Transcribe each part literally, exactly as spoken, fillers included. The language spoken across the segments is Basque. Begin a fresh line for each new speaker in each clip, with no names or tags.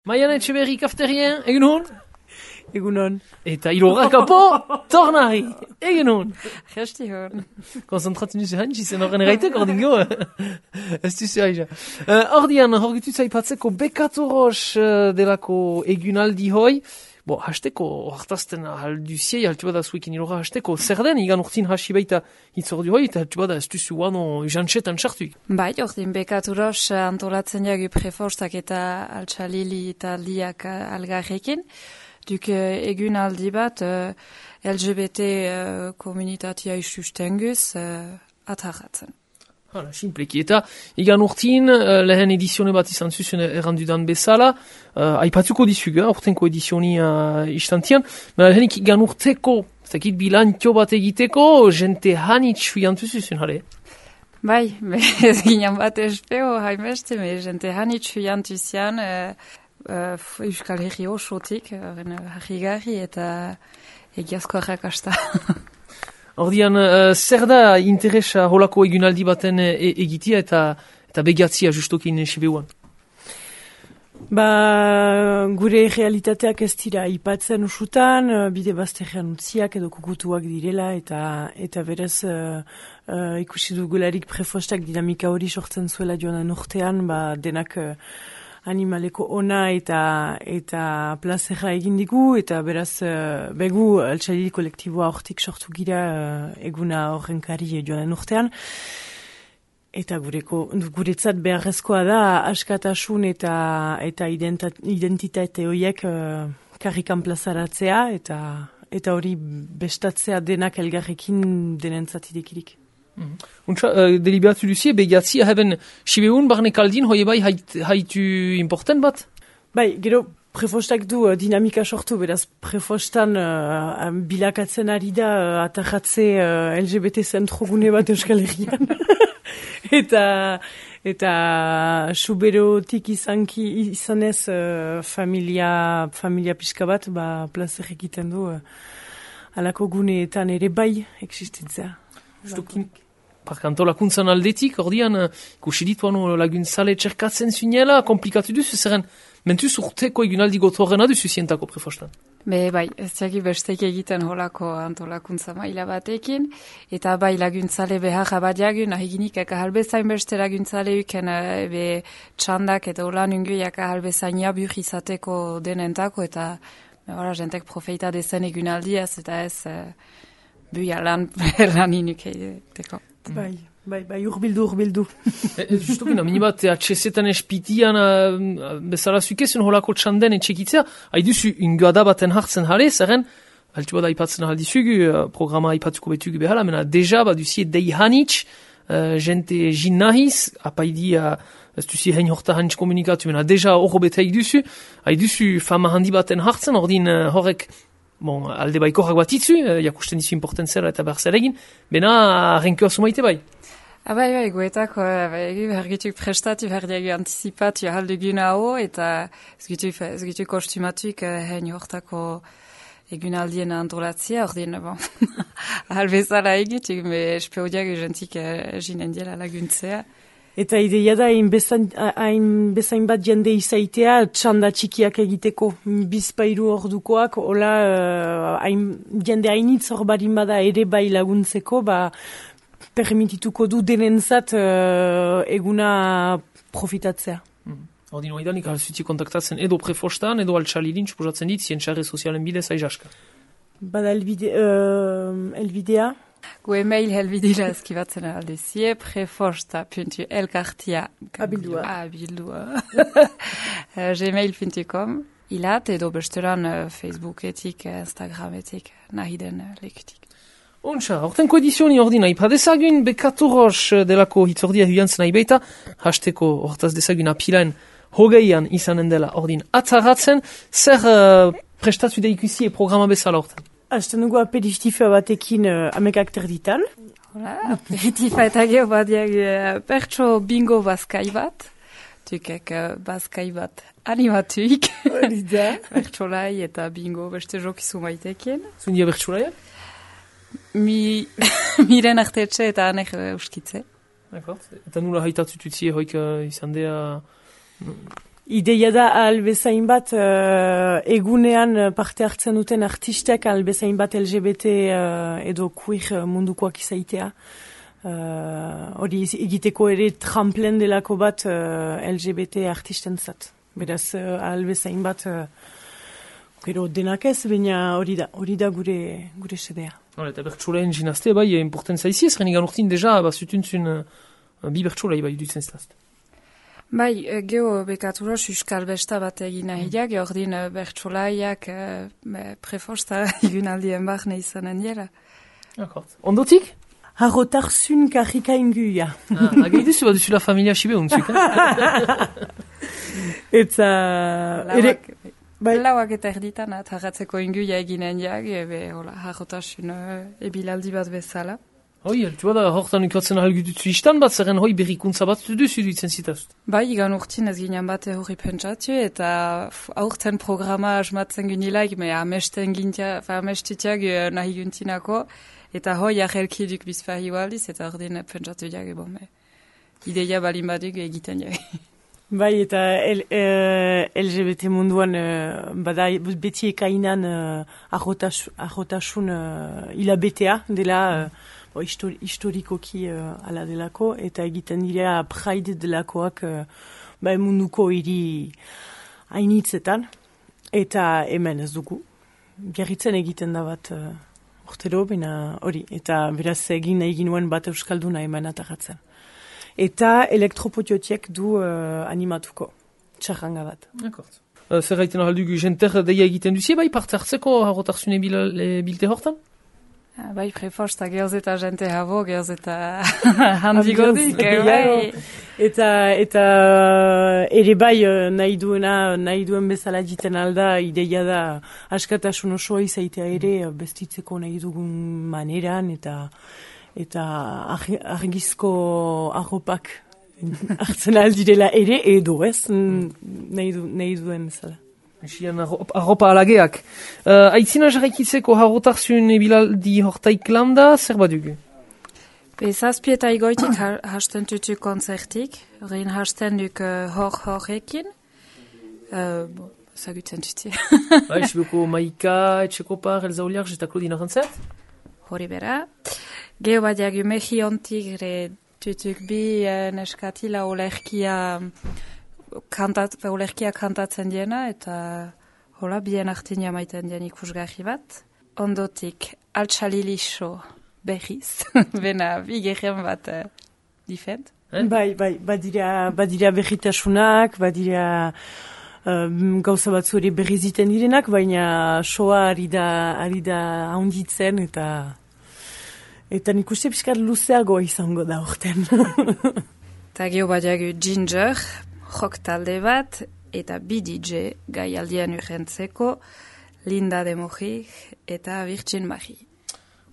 Maian Etxeberri kafterien, egin hon?
Egun hon.
Eta ilorra kapo, tornari, egin hon?
Resti hon.
Konzentratzen duzu hantzi zen horren eraitek, ordin go. Ez duzu haija. Ordian, horgitu zaipatzeko bekatoros delako egunaldi hoi. Bo, hasteko, hartazten alduziei, haltu bada zuekin ilorra hasteko, zer den, igan urtin hasi baita hitzordu hoi, eta haltu bada ez duzu guano jantxetan sartu.
Bai, ordin bekaturos antolatzen jagu prefostak eta altxalili taldiak algarrekin. Duk egun aldi bat uh, L G B T uh, komunitatea sustenguz uh, atarratzen.
Hala, simpleki. Eta igan urtin uh, lehen edizione bat izan zuzen errandudan bezala, uh, aipatuko dizuga, urtenko edizioni uh, istantian, baina lehenik igan urteko, zakit bilantio bat egiteko, jente hanitz fuiantu zuzen, jale?
Bai, ez ginen bat espeo, haimeste, me jente hanitz fuiantu zian, uh, Uh, Euskal Herri osotik, harrigarri eta egiazko arrakasta.
Ordian, uh, zer da interesa holako egunaldi baten e egitia eta eta begiatzia justokin Sibeuan?
Ba, gure realitateak ez dira ipatzen usutan, bide bazterrean utziak edo kukutuak direla, eta eta berez uh, uh, ikusi dugularik prefostak dinamika hori sortzen zuela joan urtean, ba, denak uh, animaleko ona eta eta plazera egin digu, eta beraz uh, begu altxalili kolektiboa hortik sortu gira uh, eguna horrenkari joan urtean. Eta gureko, guretzat beharrezkoa da askatasun eta eta identitate horiek uh, karrikan plazaratzea, eta eta hori bestatzea denak elgarrekin denentzat idekirik.
Mm. Untsa, uh, deliberatu duzie, begiatzi, haben Sibeun barne kaldin, hoi bai hait, haitu important bat?
Bai, gero prefostak du uh, dinamika sortu, beraz prefostan uh, bilakatzen ari da uh, atarratze uh, L G B T zentrogune bat Euskal Herrian. eta eta suberotik izanki, izanez uh, familia, familia pixka bat, ba, plazer egiten du uh, alako guneetan ere bai existitzea.
Justukin, parkantolakuntzan aldetik, ordian, ikusi dituan laguntzale txerkatzen zuinela, komplikatu duzu, zerren, mentuz urteko egunaldi gotorrena duzu zientako prefostan.
Be, bai, ez diaki bestek egiten holako antolakuntza maila batekin, eta bai laguntzale behar abadiagun, ahiginik eka halbezain beste laguntzale uken be txandak eta holan ungu eka halbezain jabur izateko denentako, eta ora, jentek profeita dezen egunaldiaz, eta ez uh, buia lan, lan inuke teko.
Bai, bai, bai, urbildu, urbildu.
Justukin, amini bat, atxezetan espitian uh, bezala zukezen holako txanden etxekitzea, haiduzu ingoada baten hartzen jale, zerren, altu bada aipatzen aldizugu, uh, programa aipatuko betugu behala, mena deja, baduzie dei hanitz, uh, jente jin nahiz, apaidi, uh, ez duzie hein horta hanitz komunikatu, mena deja horro bete haiduzu, haiduzu fama handi baten hartzen, ordin uh, horrek, bon, alde baikorrak bat itzu, uh, jakusten dizu importantzera eta behar zer egin, bena renkoa sumaite bai.
Abai, bai, goetako, egi behar gitu prestatu, behar diagu anticipatu ahaldugun hau, eta ez gitu, ez gitu kostumatuik hein hortako egunaldien antolatzea, ordin, bon, ahal bezala egituk, me espeo diagu jentik jinen diela laguntzea.
Eta ideia da, hain bezain, bezain bat jende izaitea, txanda txikiak egiteko, bizpairu ordukoak, hola, hain, jende hainitz hor barin bada ere bai laguntzeko, ba, permitituko du denentzat uh, eguna profitatzea.
Mm. Ordin, oidanik alzuti kontaktatzen edo prefostan, edo altxalilin, suposatzen dit, zientxarre sozialen bidez aizaska.
Bada elbide, uh, elbidea?
Gu email helbidila eskibatzen aldezie, prefosta puntu elkartia
abildua,
abildua. gmail puntu com, ilat edo bestelan uh, Facebooketik, Instagrametik, nahi den uh, lekutik.
Ontsa, hortenko edizioni ordina ipadezagun, bekaturos delako hitzordia huiantzen nahi baita, hasteko hortaz dezagun apilaen hogeian izanen dela ordin atzaratzen, zer uh, prestatu da ikusi programa bezala horten?
Hasten dugu aperitifa batekin uh, amekak terditan.
Hola, aperitifa eta geho bat diag uh, pertso bingo bazkai bat, tukek uh, bazkai bat animatuik, pertsolai eta bingo beste jokizu maitekin.
Zundia pertsolaia?
Mi, miren artetxe eta anek uh, uskitze.
Eta nula haitatu tutzie hoik uh, izan dea
Ideia da albezain bat uh, egunean parte hartzen duten artistek albezain bat L G B T uh, edo queer mundukoak izaitea. Hori uh, egiteko ere tramplen delako bat uh, L G B T artisten zat. Beraz uh, albezain bat uh, gero denak ez, baina hori da, hori da gure, gure sedea.
Hala, eta bertxolaen ginazte, bai, importen zaizi ez, renegan urtin deja, ba, zutuntzun uh, bi bertxolai, bai, dutzen zitazte.
Bai, geho bekatura suskal besta bat egin nahiak, mm. ordin bertsolaiak prefosta egun aldien barne izanen dira.
Akort. Ondotik?
Harrotarzun karrika inguia.
Ah, agei duzu, bat duzu la familia xibe untzuk, eh?
Eta...
Lauak, bai. Lauak eta erditan, harratzeko inguia eginen jak, ebe, hola, harrotarzun ebilaldi bat bezala.
Hoi, altu bada, hortan ikatzen ahalgututzu istan bat, zerren hoi berrikuntza bat duzu duitzen zitazut.
Bai, igan urtin ez ginen bat hori pentsatu, eta aurten programa asmatzen gynilaik, me amesten gintia, fa amestitiak nahi guntinako, eta hoi ahelkiduk bizpahi waldiz, eta ordin pentsatu jak, bon, me ideia balin baduk egiten jak.
Bai, eta L, uh, L G B T munduan uh, bada beti ekainan uh, ahotasun uh, hilabetea dela, uh, Bo, histori, historikoki uh, ala delako, eta egiten dira Pride delakoak uh, ba, munduko hiri hainitzetan, eta hemen ez dugu. Gerritzen egiten da bat uh, urtero, baina hori, eta beraz egin nahi ginuen bat euskalduna hemen ataratzen. Eta elektropotiotiek du uh, animatuko, txarranga bat.
Akort. Uh, zer gaiten ahaldugu jenter deia egiten duzie, bai parte hartzeko harrotarzune bilte hortan?
Bai, prefosta, geoz eta jente habo, geoz eta handigodik, bai.
Eta, eta ere bai nahi duena, nahi duen bezala jiten alda, ideia da askatasun osoa izaitea ere, bestitzeko nahi dugun maneran, eta eta argizko arropak hartzen aldirela ere, edo ez, nahi, du, nahi duen bezala.
Esian arropa alageak. Uh, Aitzina jarraikitzeko harrotarzun ebilaldi hortaik landa, zer badugu?
Bezazpi eta igoitik hasten tutu konzertik, horrein hasten duk hor-horrekin. Uh, bon, zagutzen tutu.
Ba, esiboko Maika, Etxekopar, Elza Oliarz eta Claudine Arantzert?
Hori bera. Geho bat jagu mehi ontik re tutuk bi uh, neskatila olerkia... Kantat, ulerkia kantatzen diena, eta hola, bien artinia maiten dien ikusgarri bat. Ondotik, altxalilixo berriz, bena bigerren bat uh, difent.
Eh? Bai, bai, badira, badira berritasunak, badira um, gauza batzu ere berriziten direnak, baina soa ari da, ari da haunditzen, eta eta nik uste pixkat luzeagoa izango da orten.
Eta geho badiagu Ginger, rock talde bat, eta bi D J gai aldian urrentzeko, Linda de Mojik eta Virgin Marie.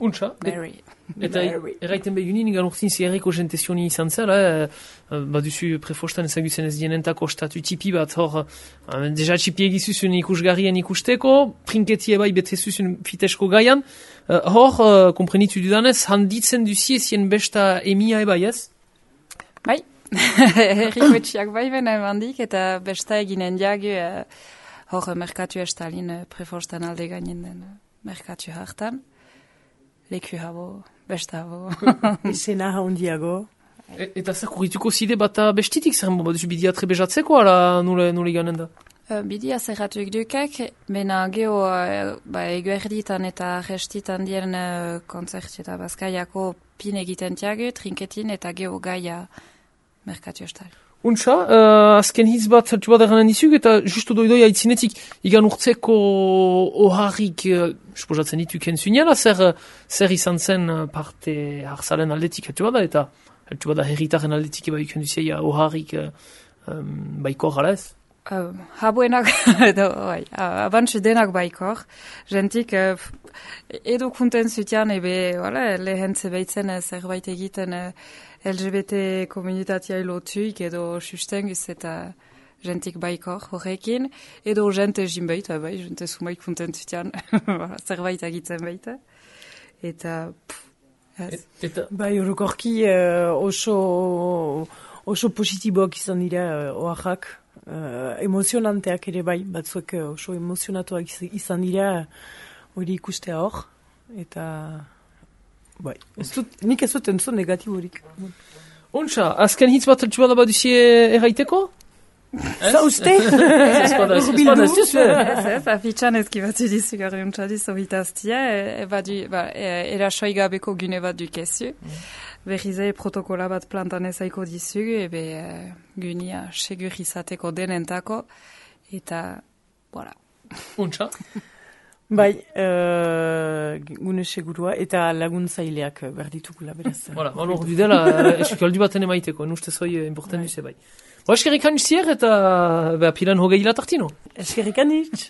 Untsa.
Mary.
Eta erraiten begunin, igan urtin ziarriko jentezioni izan zela, eh, baduzu prefostan ezagutzen ez dienentako statu tipi bat, hor, eh, deja tipi egizuzun ikusgarrien ikusteko, prinketie bai betezuzun fitesko gaian, eh, hor, eh, komprenitu dudanez, handitzen duzie zien besta emia ebai ez?
Bai. Herriko etxiak bai bena emandik, eta besta eginen diagu, uh, hor merkatu estalin uh, prefostan alde gainen den uh, merkatu hartan. Leku habo, besta habo.
Izena haundiago.
E, eta zer kurrituko zide bata bestitik zer mo, baduzu bidia trebezatzeko, ala nule, nule ganen da?
Uh, bidia zerratuk dukak, bena geho uh, ba, eguerditan eta restitan dien uh, konzerti eta bazkaiako pin egiten tiagu, trinketin eta geho gaia merkatu estal.
Untsa, uh, azken hitz bat zertu bat eranen dizuk, eta justu doidoi haitzinetik igan urtzeko oharrik, uh, esposatzen ditu kentzuniala, zer, zer izan zen parte harzalen aldetik zertu bada, eta zertu bada herritaren aldetik eba ikenduzia oharrik uh, um, baikor ala ez?
Uh, habuenak, edo, bai, abantxe denak baikor, jentik, uh, edo kunten zutian, ebe, wala, lehen zebeitzen uh, zerbait egiten uh, L G B T komunitatea lotuik edo sustengiz eta jentik baikor horrekin, edo jente jinbaita, bai, jente sumaik kunten zutian, zerbait egiten baita, eta, pff, ez.
Eta, bai, orokorki uh, oso, oso positiboak izan dira uh, oaxak, uh, emozionanteak ere bai, batzuek oso emozionatuak izan dira hori ikustea hor, eta bai, ez dut, nik ez dut entzun negatiborik.
Ontsa, azken hitz bat altxu bada baduzie erraiteko?
Zauste?
Ez bada, ez bada, ez duzu.
Ez ez, afitxan ezki bat dizu gari untxadiz ohitaztia, erasoi gabeko gune bat dukezu. Berrize protokola bat plantan ezaiko dizugu, ebe gunia segur izateko denentako, eta, voilà.
Ontsa?
Bai, uh, gune segurua, eta laguntzaileak berditukula, beraz.
Voilà, alor, dudela, eskaldu baten emaiteko, nustez hoi important duze bai. Ba, eskerrik anitzier eta pilan hogei latartino.
Eskerrik anitz.